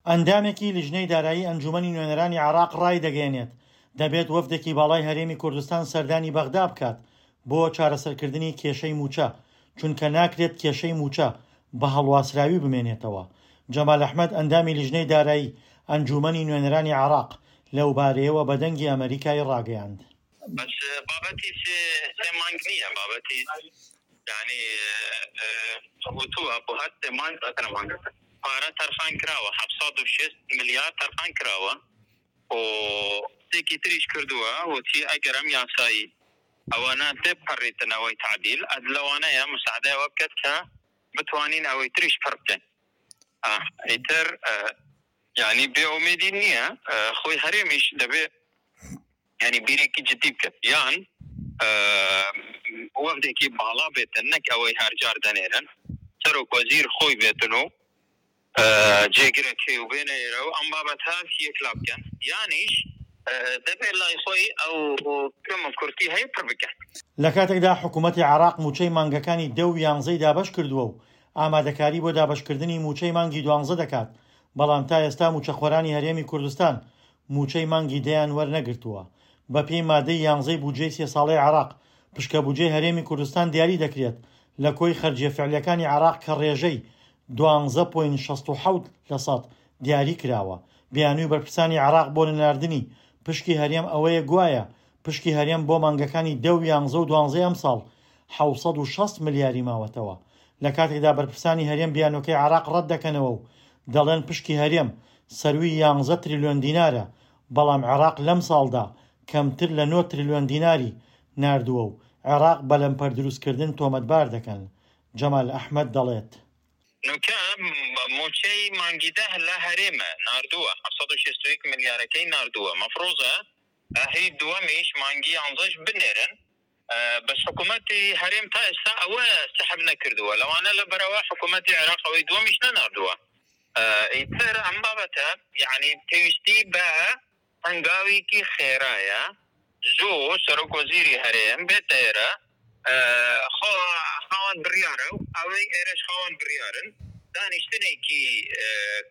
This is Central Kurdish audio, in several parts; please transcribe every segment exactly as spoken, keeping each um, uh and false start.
ئەندامێکی لیژنەی دارایی ئەنجوومەنی نوێنەرانی عێراق ڕایدەگەیەنێت، دەبێت وەفدێکی باڵای هەرێمی کوردستان سەردانی بەغدا بکات بۆ چارەسەرکردنی کێشەی مووچە، چونکە ناکرێت کێشەی مووچە بە هەڵواسراوی بمێنێتەوە. جەمال ئەحمەد ئەندامی لیژنەی دارایی ئەنجوومەنی نوێنەرانی عێراق لەوبارەیەوە بە دەنگی ئەمەریکای ڕاگەیاند. بەس بابەتی سێ سێ مانگ نییە، بابەتی یعنی وتووە بۆ هەر سێ مانگ ئەتەنە مانگەکە پارە تەرخان کراوە، حەفت سەد و شەست ملیار تەرخان کراوە و قسێکی تریش کردووە وتی ئەگەر ئەم یاسایی ئەوانە تێپەڕیتن ئەوەی تعدیل ئەد لەوانەیە مساعدەی ئەوە بکات کە بتوانین ئەوەی تریش پڕ بکەین. ئیتر یعنی بێ ئومێدی نییە، خۆی هەرێمیش دەبێ یعنی بیرێکی جدی بکات، یان وەفدێکی باڵا بێتن، نەک ئەوەی هەرجار دەنێرن، سەرۆک وەزیر خۆی بێتن و جێگرەکەی و بێنە ئێرە و ئەم بابەتە یەکلا بکەن، یانیش دەبێت لای خۆی ئەو کەم و کورتی هەیە پڕ بکەن. لە کاتێکدا حکوومەتی عێراق مووچەی مانگەکانی دە و یانزەی دابەش کردووە و ئامادەکاری بۆ دابەشکردنی مووچەی مانگی دوانزە دەکات، بەڵام تا ئێستا مووچەخۆرانی هەرێمی کوردستان مووچەی مانگی دەیان وەرنەگرتووە. بەپێی مادەی یانزەی بودجەی سێ ساڵەی عێراق، پشکە بودجەی هەرێمی کوردستان دیاری دەکرێت لە کۆی خەرجیە فعلیەکانی عێراق کە ڕێژەی دوانزە پۆینت شەست و حەوت لە سەد دیاری کراوە. بیانووی بەرپرسانی عێراق بۆ نەناردنی پشکی هەرێم ئەوەیە گوایە پشکی هەرێم بۆ مانگەکانی دە و یانزە و دوانزەی ئەمساڵ حەوت سەد و شەست ملیاری ماوەتەوە. لە کاتێکدا بەرپرسانی هەرێم بیانووەکەی عێراق ڕەت دەکەنەوە و دەڵێن پشکی هەرێم سەروی یانزە تریلیۆن دینارە، بەڵام عێراق لەم ساڵدا کەمتر لە نۆ تریلیۆن دیناری ناردووە و عێراق بە لەمپەر دروستکردن تۆمەتبار دەکەن. جەمال ئەحمەد دەڵێت، نوکە مووچەی مانگی دە لە هەرێمە ناردووە، حەفت سەد و شەست و یەک ملیارەکەی ناردووە، مەفروزە هی دووەمیش مانگی یانزەش بنێرن، بەس حکوومەتی هەرێم تا ئێستا ئەوە سەحب نەکردووە، لەوانە لەبەرەوە حکوومەتی عێراق ئەوەی دووەمیش نەناردووە. ئیتر ئەم بابەتە یعنی پێویستی بە هەنگاوێکی خێرایە، زوو سەرۆک وەزیری هەرێم بێتە ئێرە، خۆ خاوەن بڕیارە و ئەوەی ئێرەش خاوەن بڕیارن، دانیشتنێکی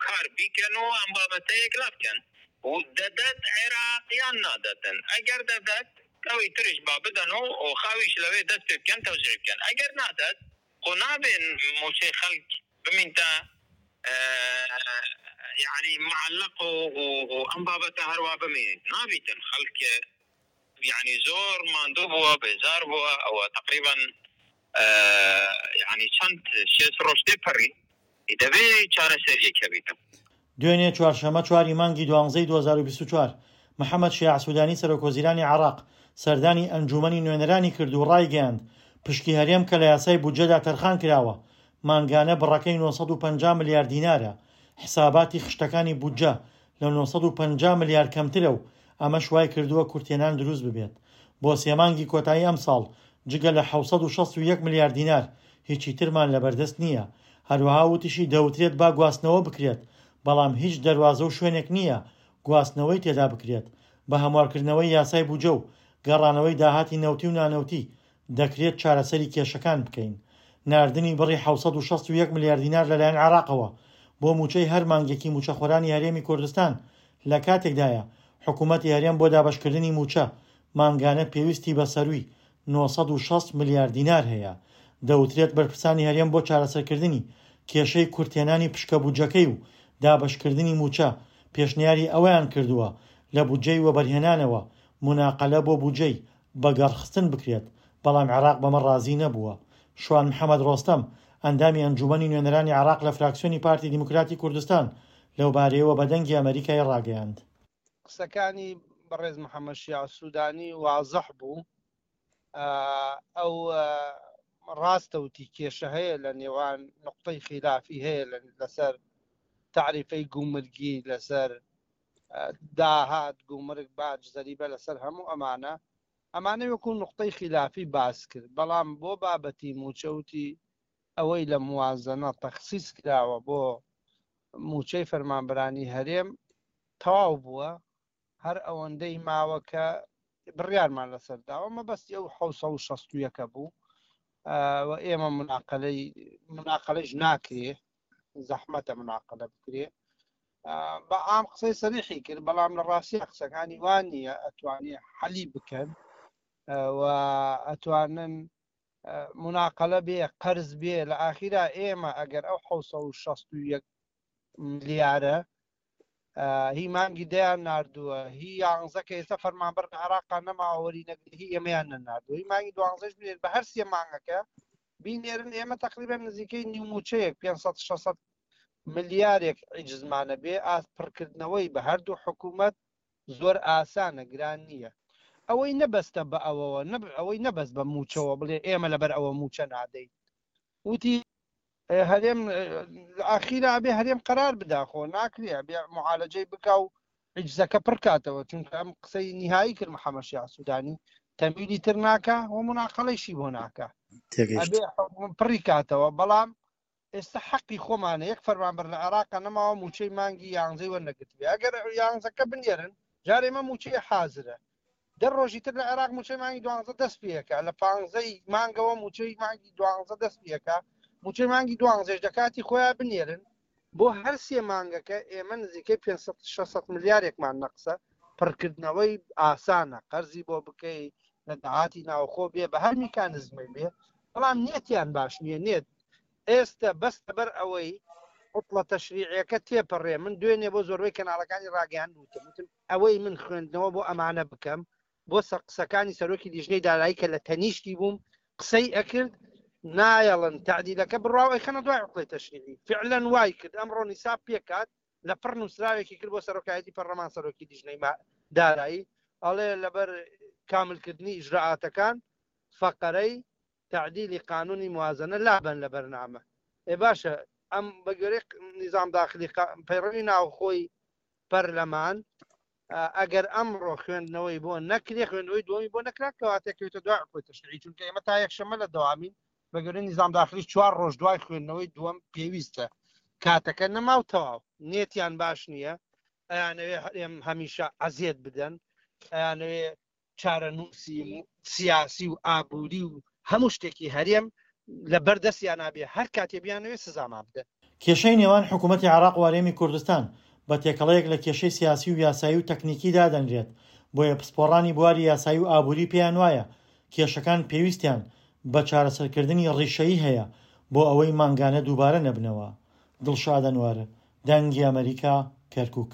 کار بیکەن و ئەم بابەتە یەکلا بکەن و دەدەت عێراق یان نادەتن. ئەگەر دەدەت ئەوەی تریش با بدەن و خاویش لەوێ دەست پێ بکەن تەوزیع بکەن، ئەگەر نادەت خۆ نابێن مووچەی خەڵک بمینتە یعنی معلق و ئەم بابەتە هەروە بمێنێت، نابیتن خەڵک یعنی زۆر ماندوو بووە، بێزار بووە، ئەوە تقریبا یعنی چەند شێست ڕۆژ تێپەڕی، دەبێ چارەسەریەک هەبیتن. دوێنێ چوارشەممە چواری مانگی دوانزەی دوو هەزار و بیست و چوار محەممەد شیاع سوودانی سەرۆک وەزیرانی عێراق سەردانی ئەنجوومەنی نوێنەرانی کرد و ڕایگەیاند پشکی هەرێم کە لە یاسای بودجەدا تەرخان کراوە مانگانە بڕەکەی نۆ سەد و پەنجا ملیار دینارە، حساباتی خشتەکانی بودجە لە نۆ سەد و پەنجا ملیار کەمترە و ئەمەش وای کردووە کورتێنان دروست ببێت. بۆ سێ مانگی کۆتایی ئەمساڵ جگە لە حەوت سەد و شەست و یەک ملیار دینار هیچی ترمان لەبەردەست نییە. هەروەها وتیشی دەوترێت با گواستنەوە بکرێت، بەڵام هیچ دەروازە و شوێنێک نییە گواستنەوەی تێدا بکرێت. بە هەموارکردنەوەی یاسای بودجە و گەڕانەوەی داهاتی نەوتی و نانەوتی دەکرێت چارەسەری کێشەکان بکەین. ناردنی بڕی حەوت سەد و شەست و یەک ملیار دینار لەلایەن عێراقەوە بۆ مووچەی هەر مانگێکی مووچەخۆرانی هەرێمی کوردستان لە کاتێکدایە حکوومەتی هەرێم بۆ دابەشکردنی مووچە مانگانە پێویستی بە سەروی نۆ سەد و شەست ملیار دینار هەیە. دەوترێت بەرپرسانی هەرێم بۆ چارەسەرکردنی کێشەی کورتێنانی پشکە بودجەکەی و دابەشکردنی مووچە پێشنیاری ئەوەیان کردووە لە بودجەی وەبەرهێنانەوە مناقەلە بۆ بودجەی بەگەڕخستن بکرێت، بەڵام عێراق بەمە ڕازی نەبووە. شوان محەممەد ڕۆستەم ئەندامی ئەنجومەنی نوێنەرانی عێراق لە فراکسیۆنی پارتی دیموکراتی کوردستان لەوبارەیەوە بە دەنگی ئەمریکای ڕاگەیاند. قسەکانی بەڕێز محەممەد شیاع سوودانی وازح بوو. ئەو ڕاستەوتی کێشە هەیە لە نێوان نقطەی خلافی هەیە لەسەر تعریفەی گومرگی، لەسەر داهات گومرگ باج زەریبە، لەسەر هەموو ئەمانە. ئەمانە وەکو نقطەی خلافی باس کرد، بەڵام بۆ بابەتی موچەوتی ئەوەی لە موازنە تەخسیس کراوە بۆ موچەی فەرمانبەرانی هەرێم تەواو بووە، هەر ئەوەندەی ماوە کە بڕیارمان لەسەر داوە. مەبەستی ئەو حەوت سەد و شەست و یەکە بوو و ئێمە مناقەلەی مناقەلەش ناکرێ، زەحمەتە مناقەلە بکرێ. بە عام قسەی سەریحی کرد، بەڵام لە ڕاستی قسەکانی وان نییە ئەتوانێ حەلی بکەن و ئەتوانن مناقەلە بێ، قەرز بێ. لە ئاخیرا ئێمە ئەگەر ئەو حەوت سەد و شەست و یەک ملیارە هی مانگی دەیان ناردووە، هی یانزە کە ئێستا فەرمانبەر لە عێراقا نەماوە وەری نەگرێ، هی ئێمەیان نەناردووە، هی مانگی دوانزەش بنێر بە هەر سێ مانگەکە بینێرن، ئێمە تقریبا نزیکەی نیو موچەیەک پێنج سەد شەش سەد ملیارێک عیجزمانە بێ. ئاست پڕکردنەوەی بە هەردوو حکوومەت زۆر ئاسانە، گران نییە. ئەوەی نەبەستە بە ئەوەوە، ئەوەی نەبەست بە موچەوە بڵێ ئێمە لەبەر ئەوە موچە نادەین. وتی هەرێم ئاخیرا بێ هەرێم قرار بدا، خۆ ناکرێ بێ معالەجەی بکا و عیجزەکە پڕکاتەوە، چونکە ئەم قسەی نهایی کرد محەممەد شیاع سوودانی تەمویلی تر ناکا و مناقەڵەیشی بۆ ناکا، ئەبێ پڕی کاتەوە. بەڵام ئێستا حەقی خۆمانە، یەک فەرمانبەر لە عێراقا نەماوە موچەی مانگی یانزەی وەرنەگرتبێ. ئەگەر یانزەکە بنێرن جارێ ئێمە موچەی حازرە، دە ڕۆژی تر لە عێراق موچەی مانگی دوانزە دەست پێەکە، لە پانزەی مانگەوە موچەی مانگی دوانزە دەست پێەکە، موچەی مانگی دوانزەش دەکاتی خۆیان بنێرن. بۆ هەر سێ مانگەکە ئێمە نزیکەی پێنج سەد شەش سەد ملیارێکمان نەقسە. پڕکردنەوەی ئاسانە، قەرزی بۆ بکەی لە داهاتی ناوخۆ بێ، بە هەر میکانزمەی بێ، بەڵام نیەتیان باش نییە. نێت ئێستا بەس لەبەر ئەوەی عوتڵە تەشریعیەکە تێپەڕێ. من دوێنێ بۆ زۆربەی کەناڵەکانی ڕاگەیاند وتم، وتم ئەوەی من خوێندنەوە بۆ ئەمانە بکەم، بۆ قسەکانی سەرۆکی لیژنەی دارایی کە لە تەنیشتی بووم قسەی ئەکرد، نایەڵن تعدیلەکە بڕاو ئەیخەنە دوای عوتڵەی تەشریعی. فعلا وای کرد. ئەمڕۆ نیساب پێکات لە پڕ نووسراوێکی کرد بۆ سەرۆکایەتی پەرلەمان، سەرۆکی لیژنەی دارایی ئەڵێ لەبەر کاملکردنی ئیجراعاتەکان فەقەرەی تعدیلی قانونی موازنە لابەن لە بەرنامە. ئێ باشە، ئەم بە گوێرەی نظام داخلی پەیڕەوی ناوخۆی پەرلەمان ئەگەر ئەمڕۆ خوێندنەوەی بۆ نەکرێ، خوێندنەوەی دووەمی بۆ نەکرا، کەواتە کەوتە دوای عوتڵەی تەشریعی، چونکە ئێمە تا یەکشەممە لە دەوامین. بە گوێرەی نظام داخلی چوار ڕۆژ دوای خوێندنەوەی دووەم پێویستە، کاتەکە نەما و تەواو. نێتیان باش نییە، ئەیانەوێ هەرێم هەمیشە عەزیەت بدەن، ئەیانەوێ چارەنووسی سیاسی و ئابووری و هەموو شتێکی هەرێم لە بەردەستیان نابێ، هەر کاتێ بیانەوێ سزامان بدەن. کێشەی نێوان حکوومەتی عێراق و هەرێمی کوردستان بە تێکەڵەیەک لە کێشەی سیاسی و یاسایی و تەکنیکی دادەنرێت، بۆیە پسپۆڕانی بواری یاسایی و ئابووری پێیان وایە کێشەکان پێویستیان بە چارەسەرکردنی ڕیشەیی هەیە بۆ ئەوەی مانگانە دووبارە نەبنەوە. دڵشاد ئەنوەر، دەنگی ئەمەریکا، کەرکووک.